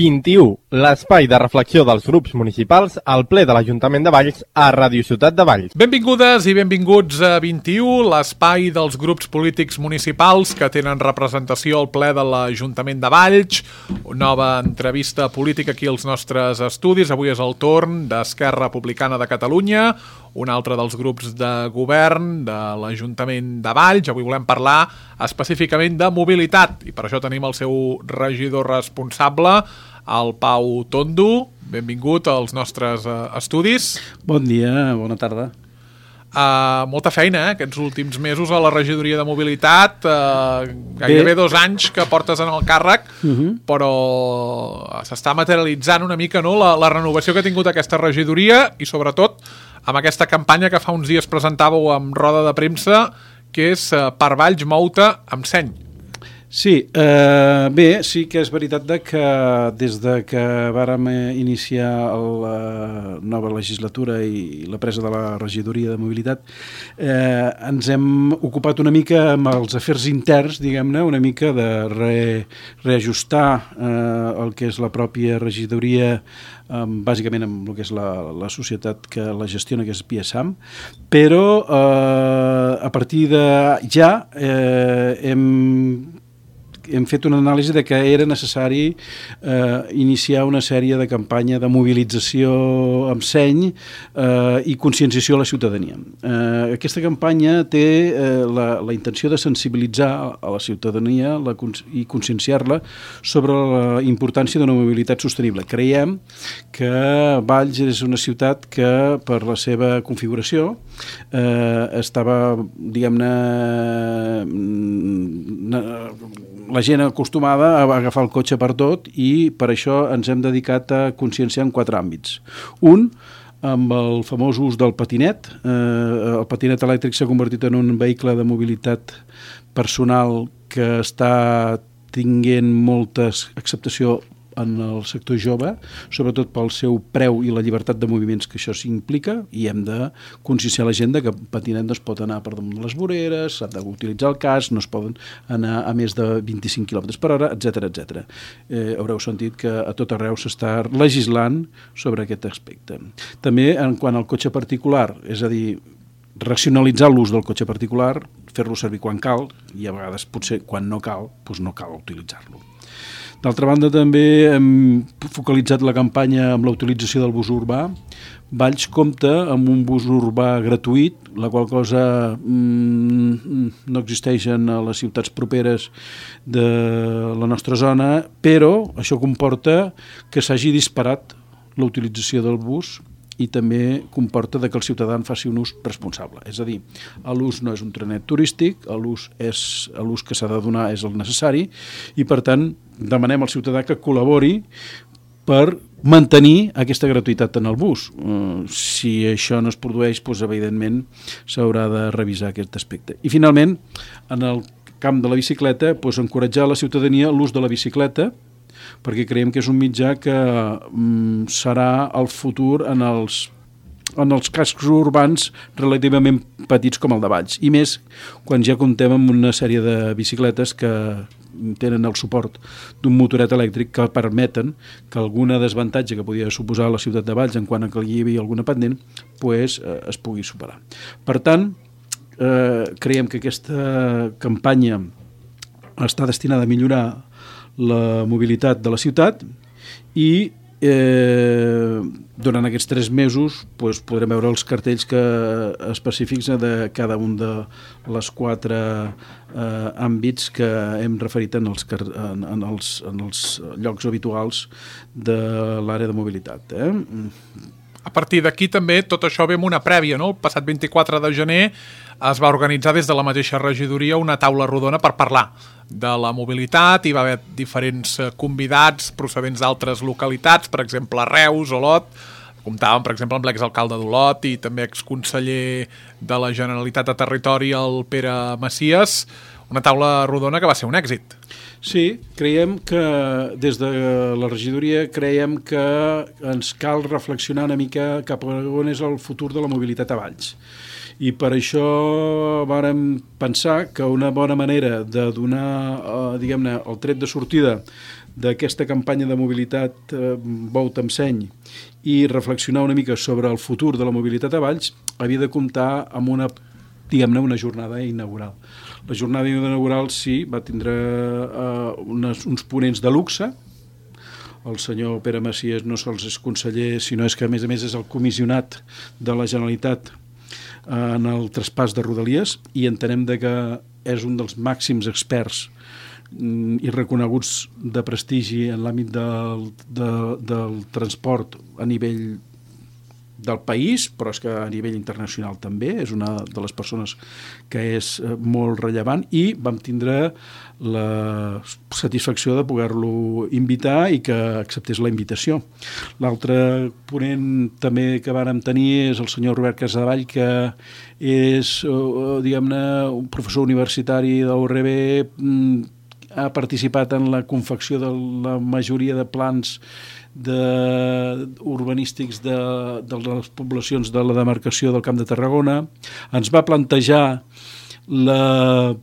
21, l'espai de reflexió dels grups municipals al ple de l'Ajuntament de Valls a Ràdio Ciutat de Valls. Benvingudes i benvinguts a 21, l'espai dels grups polítics municipals que tenen representació al ple de l'Ajuntament de Valls. Nova entrevista política aquí als nostres estudis. Avui és el torn d'Esquerra Republicana de Catalunya, un altre dels grups de govern de l'Ajuntament de Valls. Avui volem parlar específicament de mobilitat i per això tenim el seu regidor responsable, el Pau Tondo. Benvingut als nostres estudis. Bon dia, bona tarda. Molta feina, aquests últims mesos a la regidoria de mobilitat, gairebé 2 anys que portes en el càrrec, però s'està materialitzant una mica, no?, la renovació que ha tingut aquesta regidoria i sobretot amb aquesta campanya que fa uns dies presentàveu amb roda de premsa, que és Per Valls mou-te amb seny. Sí, bé, sí que és veritat que des de que vàrem iniciar la nova legislatura i la presa de la regidoria de mobilitat, ens hem ocupat una mica amb els afers interns, diguem-ne, una mica de reajustar el que és la pròpia regidoria, bàsicament amb el que és la societat que la gestiona, que és PSAM, però a partir de ja hem fet una anàlisi de que era necessari iniciar una sèrie de campanya de mobilització amb seny i conscienciació a la ciutadania. Aquesta campanya té la intenció de sensibilitzar a la ciutadania i conscienciar-la sobre la importància d'una mobilitat sostenible. Creiem que Valls és una ciutat que, per la seva configuració, estava, diguem-ne, la gent acostumada a agafar el cotxe per tot i per això ens hem dedicat a conscienciar en 4 àmbits. Un, amb el famós ús del patinet. El patinet elèctric s'ha convertit en un vehicle de mobilitat personal que està tinguent molta acceptació en el sector jove, sobretot pel seu preu i la llibertat de moviments que això s'implica, i hem de conscienciar la gent que el patinet no es pot anar per damunt de les voreres, s'ha d'utilitzar el casc, no es poden anar a més de 25 km per hora, etc. Haureu sentit que a tot arreu s'està legislant sobre aquest aspecte. També en quant al cotxe particular, és a dir, racionalitzar l'ús del cotxe particular, fer-lo servir quan cal, i a vegades potser quan no cal, doncs no cal utilitzar-lo. D'altra banda, també hem focalitzat la campanya amb la utilització del bus urbà. Valls compta amb un bus urbà gratuït, la qual cosa no existeix en les ciutats properes de la nostra zona, però això comporta que s'hagi disparat la utilització del bus i també comporta que el ciutadà en faci un ús responsable. És a dir, l'ús no és un trenet turístic, l'ús que s'ha de donar és el necessari i, per tant, demanem al ciutadà que col·labori per mantenir aquesta gratuïtat en el bus. Si això no es produeix, doncs, evidentment, s'haurà de revisar aquest aspecte. I, finalment, en el camp de la bicicleta, doncs, encoratjar la ciutadania l'ús de la bicicleta, perquè creiem que és un mitjà que serà el futur en els cascs urbans relativament petits com el de Valls, i més quan ja comptem amb una sèrie de bicicletes que tenen el suport d'un motoret elèctric que permeten que alguna desavantatge que podia suposar a la ciutat de Valls en quant a que hi havia alguna pendent pues, es pugui superar. Per tant, creiem que aquesta campanya està destinada a millorar la mobilitat de la ciutat i durant aquests 3 mesos doncs, podrem veure els cartells específics de cada un de les 4 àmbits que hem referit en els llocs habituals de l'àrea de mobilitat. A partir d'aquí també tot això ve amb una prèvia, no? El passat 24 de gener es va organitzar des de la mateixa regidoria una taula rodona per parlar de la mobilitat. Hi va haver diferents convidats procedents d'altres localitats, per exemple Reus, Olot. Comptàvem, per exemple, amb l'exalcalde d'Olot i també exconseller de la Generalitat de Territori, el Pere Macias. Una taula rodona que va ser un èxit. Sí, creiem que des de la regidoria creiem que ens cal reflexionar una mica cap a on és el futur de la mobilitat a Valls. I per això vàrem pensar que una bona manera de donar, diguem-ne, el tret de sortida d'aquesta campanya de mobilitat Bou-te amb seny i reflexionar una mica sobre el futur de la mobilitat a Valls, havia de comptar amb una jornada inaugural. La jornada inaugural sí, va tindre uns ponents de luxe. El senyor Pere Macias no sols és conseller, sinó és que a més és el comissionat de la Generalitat en el traspàs de Rodalies, i entenem que és un dels màxims experts i reconeguts de prestigi en l'àmbit del transport a nivell del país, però és que a nivell internacional també és una de les persones que és molt rellevant, i vam tindre la satisfacció de poder-lo invitar i que acceptés la invitació. L'altre ponent també que vàrem tenir és el senyor Robert Casadevall, que és, diguem-ne, un professor universitari de la URB, ha participat en la confecció de la majoria de plans urbanístics de les poblacions de la demarcació del Camp de Tarragona. Ens va plantejar la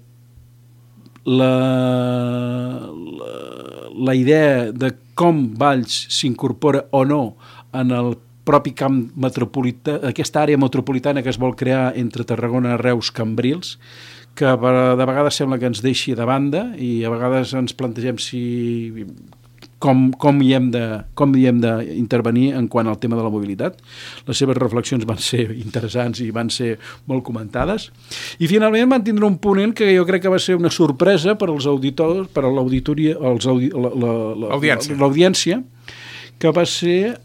idea de com Valls s'incorpora o no en el propi camp metropolità, aquesta àrea metropolitana que es vol crear entre Tarragona, Reus, Cambrils, que de vegades sembla que ens deixi de banda, i a vegades ens plantegem com hi hem d'intervenir en quant al tema de la mobilitat. Les seves reflexions van ser interessants i van ser molt comentades. I finalment van tindre un ponent que jo crec que va ser una sorpresa per als auditors, per a l'audiència, que va ser,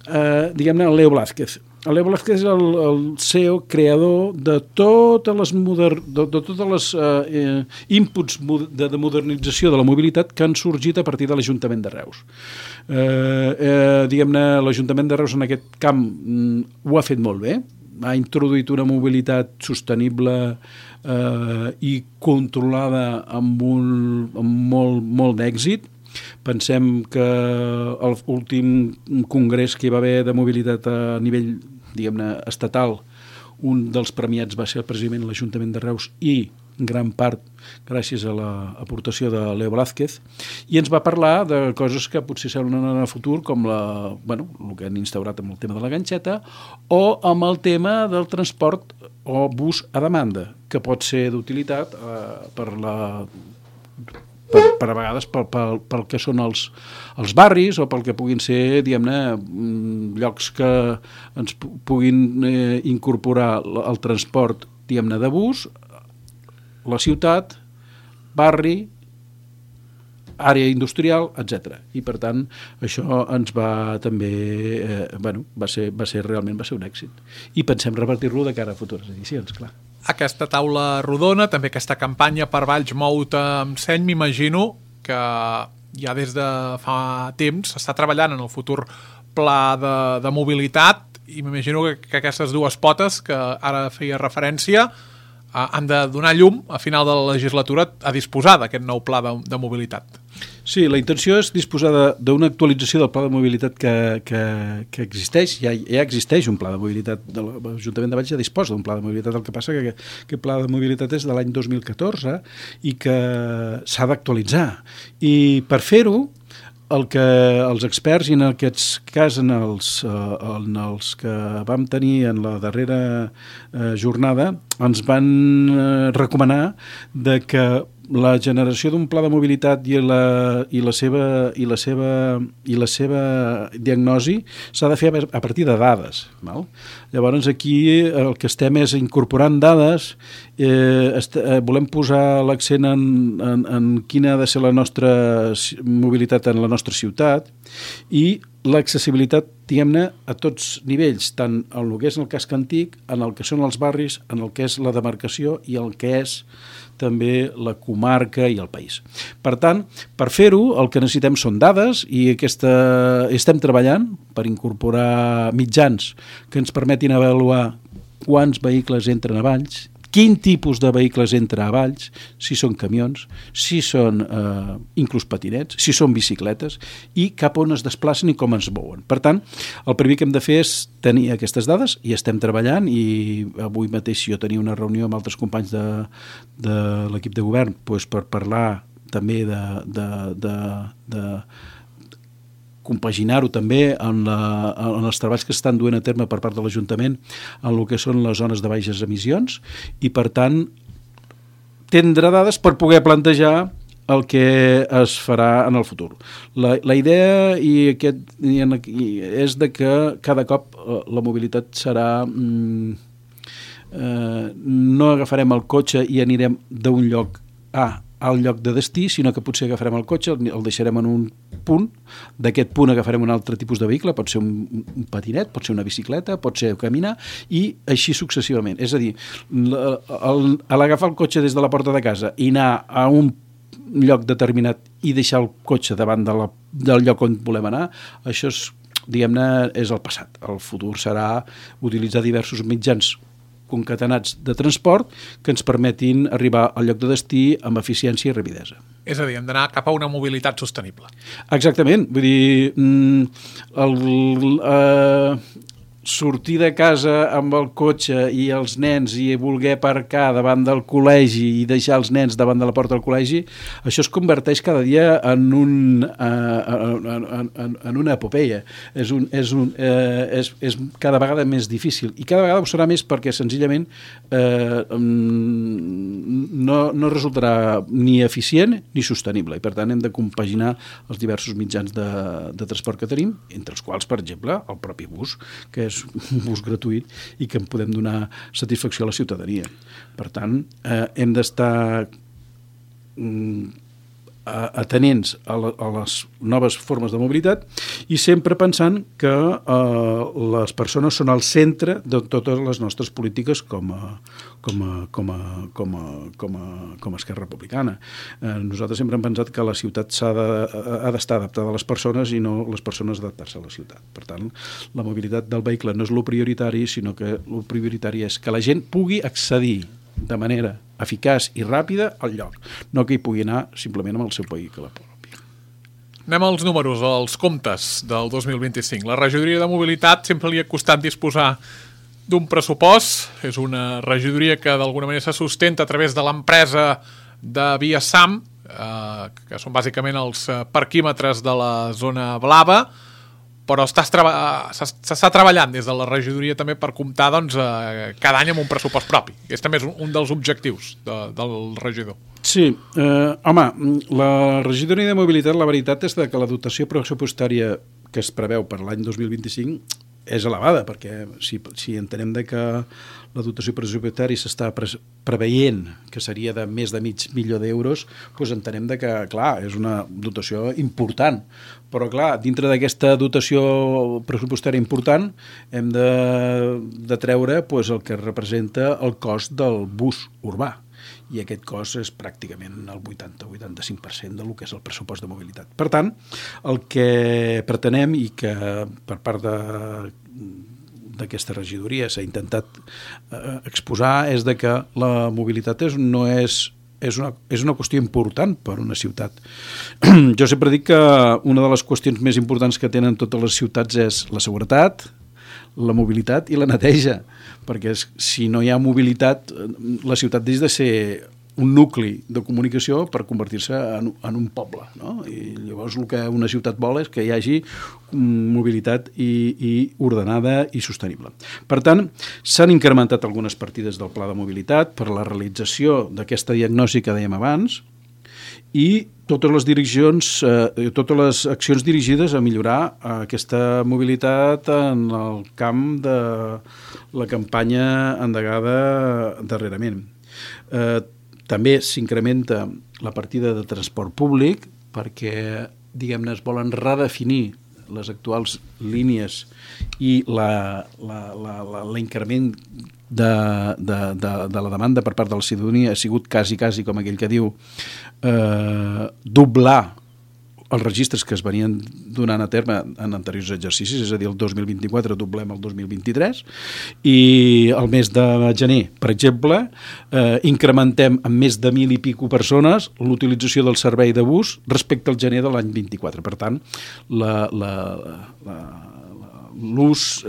diguem-ne, el Leo Blázquez. El Leo Blázquez és el CEO creador de totes les inputs de modernització de la mobilitat que han sorgit a partir de l'Ajuntament de Reus. Diguem-ne, l'Ajuntament de Reus en aquest camp ho ha fet molt bé, ha introduït una mobilitat sostenible i controlada amb molt d'èxit. Pensem que l'últim congrés que hi va haver de mobilitat a nivell, diguem-ne, estatal, un dels premiats va ser precisament l'Ajuntament de Reus, i en gran part gràcies a l'aportació de Leo Blázquez, i ens va parlar de coses que potser semblen en el futur, com el que han instaurat amb el tema de la ganxeta, o amb el tema del transport o bus a demanda, que pot ser d'utilitat per a vegades pel que són els barris, o pel que puguin ser, diguem-ne, llocs que ens puguin incorporar el transport, diguem-ne, de bus, la ciutat, barri, àrea industrial, etc. I per tant això ens va també va ser realment un èxit, i pensem repartir-lo de cara a futures edicions, clar. Aquesta taula rodona, també aquesta campanya per Valls Mou-te amb seny, m'imagino que ja des de fa temps s'està treballant en el futur pla de mobilitat, i m'imagino que aquestes dues potes que ara feia referència han de donar llum a final de la legislatura a disposar d'aquest nou pla de mobilitat. Sí, la intenció és disposar d'una actualització del pla de mobilitat que existeix. Ja existeix un pla de mobilitat. L'Ajuntament de Valls ja disposa d'un pla de mobilitat. El que passa que aquest pla de mobilitat és de l'any 2014 i que s'ha d'actualitzar. I per fer-ho, el que els experts, i en aquest cas en els que vam tenir en la darrera jornada, ens van recomanar de que la generació d'un pla de mobilitat i la seva diagnosi s'ha de fer a partir de dades. Val? Llavors aquí el que estem és incorporant dades, volem posar l'accent en quina ha de ser la nostra mobilitat en la nostra ciutat, i l'accessibilitat, diguem-ne, a tots nivells, tant en el que és el casc antic, en el que són els barris, en el que és la demarcació i el que és també la comarca i el país. Per tant, per fer-ho, el que necessitem són dades, i estem treballant per incorporar mitjans que ens permetin avaluar quants vehicles entren a Valls, quin tipus de vehicles entra a Valls, si són camions, si són inclús patinets, si són bicicletes, i cap on es desplacen i com es mouen. Per tant, el primer que hem de fer és tenir aquestes dades, i estem treballant, i avui mateix jo tenia una reunió amb altres companys de l'equip de govern per parlar també compaginar-ho també en els treballs que estan duent a terme per part de l'Ajuntament en el que són les zones de baixes emissions i, per tant, tindrà dades per poder plantejar el que es farà en el futur. La idea és de que cada cop la mobilitat serà... no agafarem el cotxe i anirem d'un lloc A al lloc de destí, sinó que potser agafarem el cotxe, el deixarem en un punt, d'aquest punt agafarem un altre tipus de vehicle, pot ser un patinet, pot ser una bicicleta, pot ser caminar, i així successivament. És a dir, l'agafar el cotxe des de la porta de casa i anar a un lloc determinat i deixar el cotxe davant del lloc on volem anar, això és, diguem-ne, és el passat. El futur serà utilitzar diversos mitjans concatenats de transport que ens permetin arribar al lloc de destí amb eficiència i rapidesa. És a dir, hem d'anar cap a una mobilitat sostenible. Exactament. Vull dir, sortir de casa amb el cotxe i els nens i voler aparcar davant del col·legi i deixar els nens davant de la porta del col·legi, això es converteix cada dia en una epopeia. És cada vegada més difícil i cada vegada ho serà més perquè senzillament no resultarà ni eficient ni sostenible i per tant hem de compaginar els diversos mitjans de transport que tenim, entre els quals, per exemple, el propi bus, que és un bus gratuït i que en podem donar satisfacció a la ciutadania. Per tant, hem d'estar atenents a les noves formes de mobilitat i sempre pensant que les persones són al centre de totes les nostres polítiques com a Esquerra Republicana. Nosaltres sempre hem pensat que la ciutat ha d'estar adaptada a les persones i no les persones adaptar-se a la ciutat. Per tant, la mobilitat del vehicle no és el prioritari, sinó que el prioritari és que la gent pugui accedir de manera eficaç i ràpida al lloc, no que hi pugui anar simplement amb el seu vehicle propi. Anem als números, als comptes del 2025. La regidoria de mobilitat sempre li ha costat disposar d'un pressupost. És una regidoria que d'alguna manera se sustenta a través de l'empresa de Viasam, que són bàsicament els parquímetres de la zona blava, però s'està treballant des de la regidoria també per comptar cada any amb un pressupost propi. Aquest també és un dels objectius del regidor. Sí, home, la regidoria de mobilitat, la veritat és que la dotació pressupostària que es preveu per l'any 2025 és elevada, perquè si entenem que la dotació pressupostària s'està preveient que seria de més de $500.000, doncs entenem que, clar, és una dotació important. Però, clar, dintre d'aquesta dotació pressupostària important hem de treure el que representa el cost del bus urbà. I aquest cost és pràcticament el 80-85% del que és el pressupost de mobilitat. Per tant, el que pretenem i que per part d'aquesta regidoria s'ha intentat exposar és que la mobilitat no és una qüestió important per a una ciutat. Jo sempre dic que una de les qüestions més importants que tenen totes les ciutats és la seguretat, la mobilitat i la neteja, perquè si no hi ha mobilitat, la ciutat deixa de ser un nucli de comunicació per convertir-se en un poble, no? I llavors el que una ciutat vol és que hi hagi mobilitat i ordenada i sostenible. Per tant, s'han incrementat algunes partides del pla de mobilitat per la realització d'aquesta diagnosi que dèiem abans i totes les accions dirigides a millorar aquesta mobilitat en el camp de la campanya endegada darrerament. També s'incrementa la partida de transport públic perquè, diguem-ne, es volen redefinir les actuals línies i l'increment de la demanda per part de la ciutadania ha sigut quasi, com aquell que diu, doblar els registres que es venien donant a terme en anteriors exercicis, és a dir, el 2024 doblem el 2023, i el mes de gener, per exemple, incrementem en més de 1.000 i pico persones l'utilització del servei de bus respecte al gener de l'any 24. Per tant, l'ús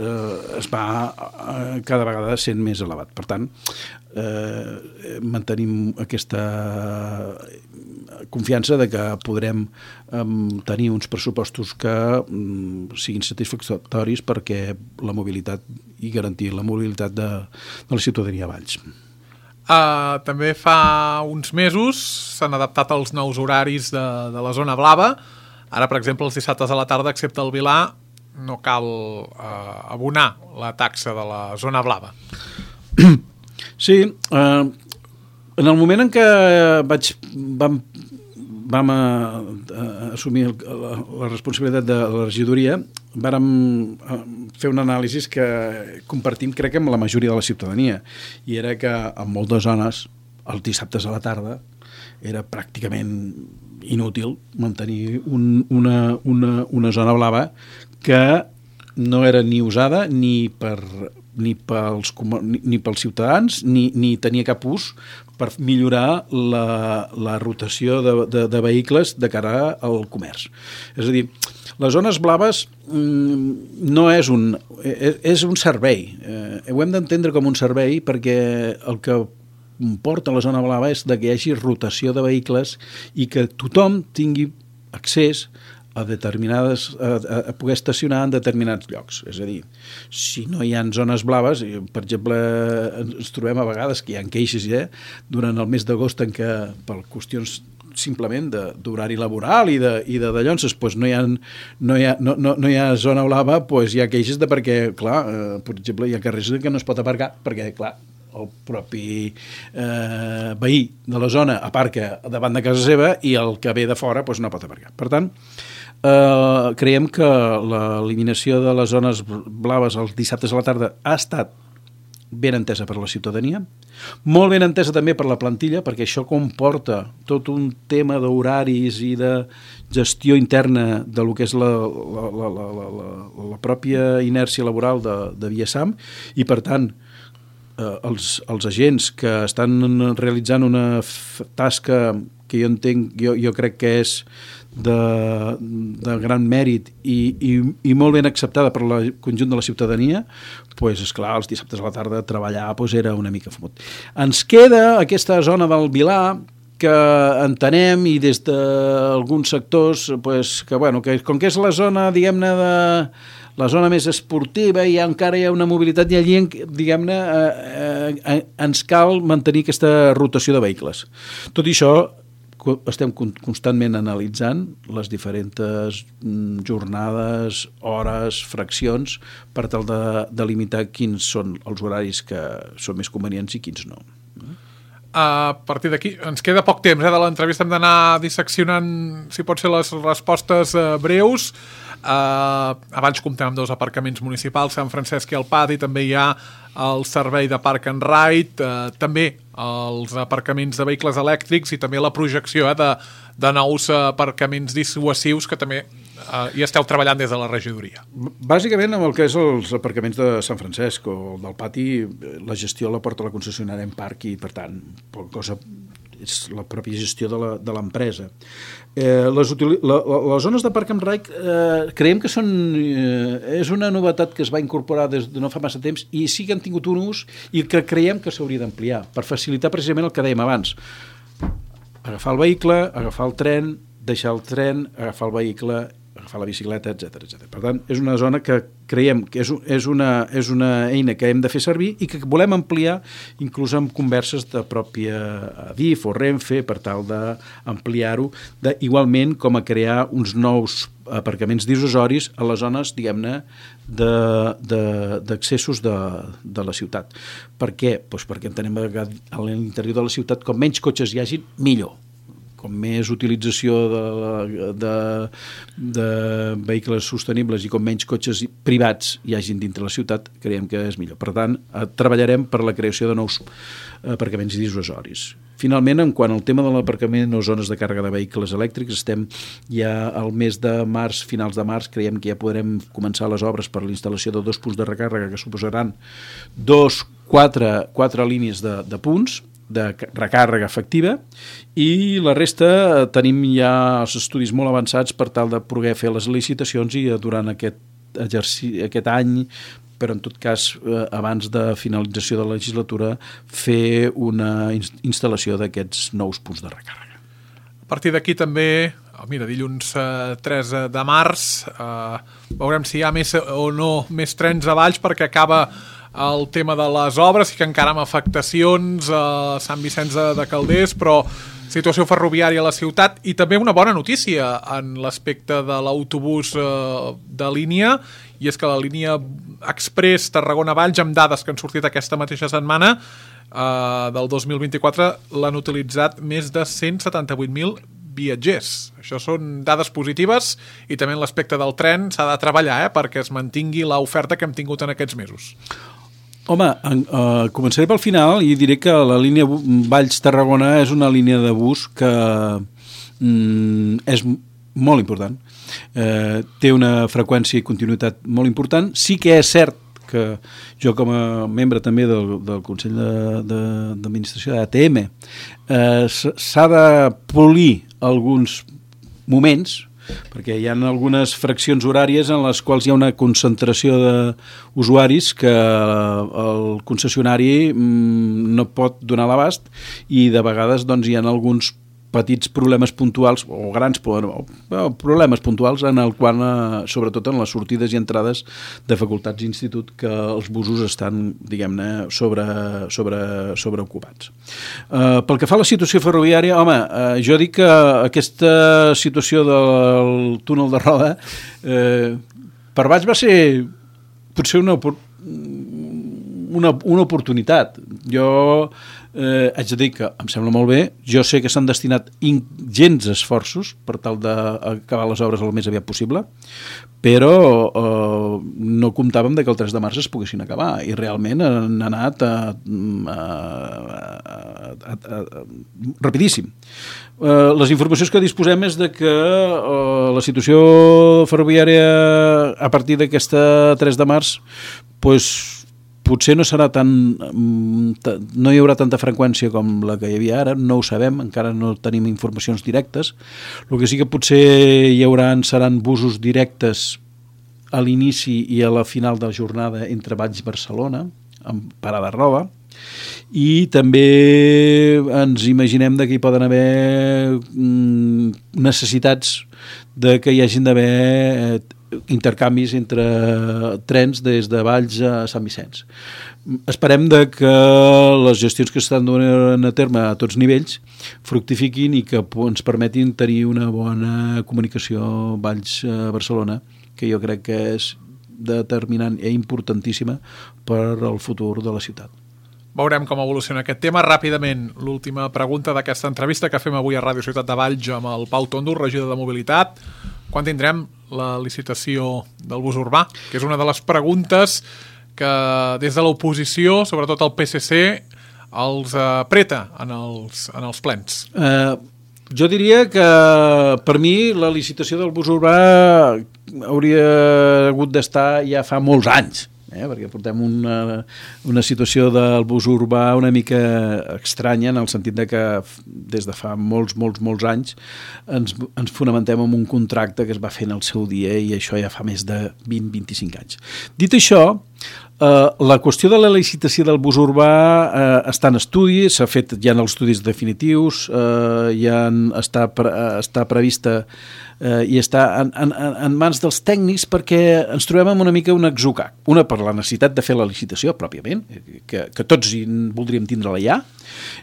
es va cada vegada sent més elevat. Per tant, mantenim aquesta confiança de que podrem tenir uns pressupostos que siguin satisfactoris perquè la mobilitat i garantir la mobilitat de la ciutadania a Valls. També fa uns mesos s'han adaptat els nous horaris de la zona blava. Ara, per exemple, els dissabtes a la tarda, excepte el Vilar, no cal abonar la taxa de la zona blava. Sí, en el moment en què vam assumir la responsabilitat de la regidoria, vàrem fer un anàlisi que compartim, crec, amb la majoria de la ciutadania, i era que en moltes zones, els dissabtes a la tarda, era pràcticament inútil mantenir una zona blava que no era ni usada ni pels ciutadans ni tenia cap ús per millorar la rotació de vehicles de cara al comerç. És a dir, les zones blaves no és un servei. Ho hem d'entendre com un servei perquè el que porta la zona blava és que hi hagi rotació de vehicles i que tothom tingui accés a poder estacionar en determinats llocs. És a dir, si no hi ha zones blaves, per exemple, ens trobem a vegades que hi ha queixes durant el mes d'agost en què, per qüestions simplement d'horari laboral i de dallonses, doncs no hi ha zona blava, doncs hi ha queixes de perquè, clar, per exemple, hi ha carrers que no es pot aparcar perquè, clar, el propi veí de la zona aparca davant de casa seva i el que ve de fora doncs no pot aparcar. Per tant, creiem que l'eliminació de les zones blaves els dissabtes a la tarda ha estat ben entesa per la ciutadania, molt ben entesa també per la plantilla, perquè això comporta tot un tema d'horaris i de gestió interna de lo que és la pròpia inèrcia laboral de Viasam, i per tant els agents que estan realitzant una tasca que jo entenc, jo crec que és de gran mèrit i molt ben acceptada per el conjunt de la ciutadania, doncs, esclar, els dissabtes a la tarda treballar era una mica fumut. Ens queda aquesta zona del Vilar que entenem, i des d'alguns sectors, que com que és la zona, diguem-ne, la zona més esportiva i encara hi ha una mobilitat i allí, diguem-ne, ens cal mantenir aquesta rotació de vehicles. Tot i això, estem constantment analitzant les diferents jornades, hores, fraccions, per tal de limitar quins són els horaris que són més convenients i quins no. A partir d'aquí, ens queda poc temps de l'entrevista, hem d'anar disseccionant, si pot ser, les respostes breus. Abans comptem amb 2 aparcaments municipals, Sant Francesc i el Pati, també hi ha el servei de Park and Ride, també els aparcaments de vehicles elèctrics i també la projecció de nous aparcaments dissuasius que també hi esteu treballant des de la regidoria. Bàsicament amb el que és els aparcaments de Sant Francesc o del Pati, la gestió la porta la concessionària en parc i, per tant, és la pròpia gestió de l'empresa. Les zones de Park and Ride creiem que és una novetat que es va incorporar des de no fa massa temps i sí que han tingut un ús i que creiem que s'hauria d'ampliar per facilitar precisament el que dèiem abans. Agafar el vehicle, agafar el tren, deixar el tren, agafar el vehicle, agafar la bicicleta, etc. Per tant, és una zona que creiem que és una eina que hem de fer servir i que volem ampliar inclús amb converses de pròpia Adif o Renfe per tal d'ampliar-ho, igualment com a crear uns nous aparcaments dissuasoris a les zones, diguem-ne, d'accessos de la ciutat. Per què? Doncs perquè entenem que a l'interior de la ciutat, com menys cotxes hi hagi, millor. Com més utilització de vehicles sostenibles i com menys cotxes privats hi hagin dintre la ciutat, creiem que és millor. Per tant, treballarem per la creació de nous aparcaments dissuasoris. Finalment, en quant al tema de l'aparcament o zones de càrrega de vehicles elèctrics, estem ja al mes de març, finals de març, creiem que ja podrem començar les obres per l'instal·lació de 2 punts de recàrrega que suposaran 4 línies de punts de recàrrega efectiva, i la resta tenim ja els estudis molt avançats per tal de poder fer les licitacions i durant aquest aquest any, però en tot cas, abans de finalització de la legislatura, fer una instal·lació d'aquests nous punts de recàrrega. A partir d'aquí també, mira, dilluns 3 de març, veurem si hi ha més o no més trens a Valls, perquè acaba el tema de les obres, i que encara amb afectacions a Sant Vicenç de Calders, però situació ferroviària a la ciutat, i també una bona notícia en l'aspecte de l'autobús de línia, i és que la línia Express Tarragona-Valls, amb dades que han sortit aquesta mateixa setmana del 2024, l'han utilitzat més de 178.000 viatgers. Això són dades positives, i també en l'aspecte del tren s'ha de treballar perquè es mantingui l'oferta que hem tingut en aquests mesos. Home, començaré pel final i diré que la línia Valls-Tarragona és una línia de bus que és molt important. Té una freqüència i continuïtat molt important. Sí que és cert que jo, com a membre també del Consell d'Administració d'ATM, s'ha de polir alguns moments, perquè hi ha algunes fraccions horàries en les quals hi ha una concentració d'usuaris que el concessionari no pot donar l'abast, i de vegades doncs, hi ha alguns petits problemes puntuals o grans problemes puntuals en el qual, sobretot en les sortides i entrades de facultats i institut, que els busos estan, diguem-ne, sobreocupats. Pel que fa a la situació ferroviària, home, jo dic que aquesta situació del túnel de Roda per Valls va ser potser una oportunitat. Jo haig de dir que em sembla molt bé. Jo sé que s'han destinat ingents esforços per tal d'acabar les obres el més aviat possible, però no comptàvem que el 3 de març es poguessin acabar, i realment han anat rapidíssim. Les informacions que disposem és de que la situació ferroviària a partir d'aquesta 3 de març potser no serà no hi haurà tanta freqüència com la que hi havia ara, no ho sabem, encara no tenim informacions directes. El que sí que potser seran busos directes a l'inici i a la final de la jornada entre Valls i Barcelona, amb parada a Roda, i també ens imaginem que hi poden haver necessitats de que hi hagin d'haver intercanvis entre trens des de Valls a Sant Vicenç. Esperem que les gestions que s'estan donant a terme a tots nivells fructifiquin i que ens permetin tenir una bona comunicació Valls-Barcelona, que jo crec que és determinant i importantíssima per al futur de la ciutat. Veurem com evoluciona aquest tema. Ràpidament, l'última pregunta d'aquesta entrevista que fem avui a Ràdio Ciutat de Valls amb el Pau Tondo, regidor de Mobilitat. Quan tindrem la licitació del bus urbà? Que és una de les preguntes que des de l'oposició, sobretot el PSC, els apreta en els plens. Jo diria que per mi la licitació del bus urbà hauria hagut d'estar ja fa molts anys, perquè portem una situació del bus urbà una mica estranya, en el sentit que des de fa molts anys ens fonamentem en un contracte que es va fer en el seu dia, i això ja fa més de 20-25 anys. Dit això, la qüestió de la licitació del bus urbà està en estudi, s'ha fet ja en els estudis definitius, ja està prevista i està en mans dels tècnics, perquè ens trobem amb una mica un atzucac. Una, per la necessitat de fer la licitació pròpiament, que tots voldríem tindre-la ja,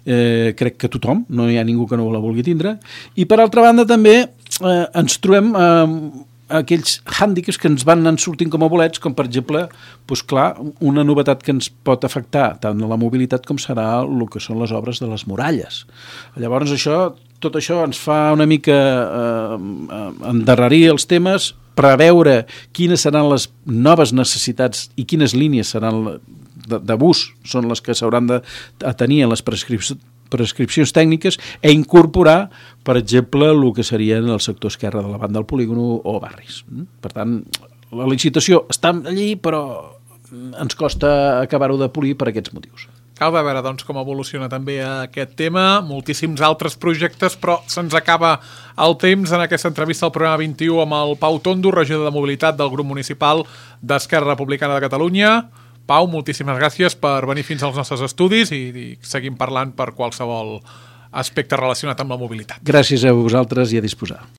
crec que tothom, no hi ha ningú que no la vulgui tindre, i per altra banda també ens trobem aquells hàndicaps que ens van anar sortint com a bolets, com per exemple, una novetat que ens pot afectar tant a la mobilitat com serà el que són les obres de les muralles. Llavors tot això ens fa una mica endarrerir els temes, preveure quines seran les noves necessitats i quines línies seran de bus són les que s'hauran de tenir en les prescripcions tècniques, i incorporar, per exemple, el que serien el sector esquerre de la banda del polígon o barris. Per tant, la licitació està allí, però ens costa acabar-ho de polir per aquests motius. Cal de veure doncs, com evoluciona també aquest tema, moltíssims altres projectes, però se'ns acaba el temps en aquesta entrevista al programa 21 amb el Pau Tondo, regidor de Mobilitat del grup municipal d'Esquerra Republicana de Catalunya. Pau, moltíssimes gràcies per venir fins als nostres estudis i seguim parlant per qualsevol aspecte relacionat amb la mobilitat. Gràcies a vosaltres i a disposar.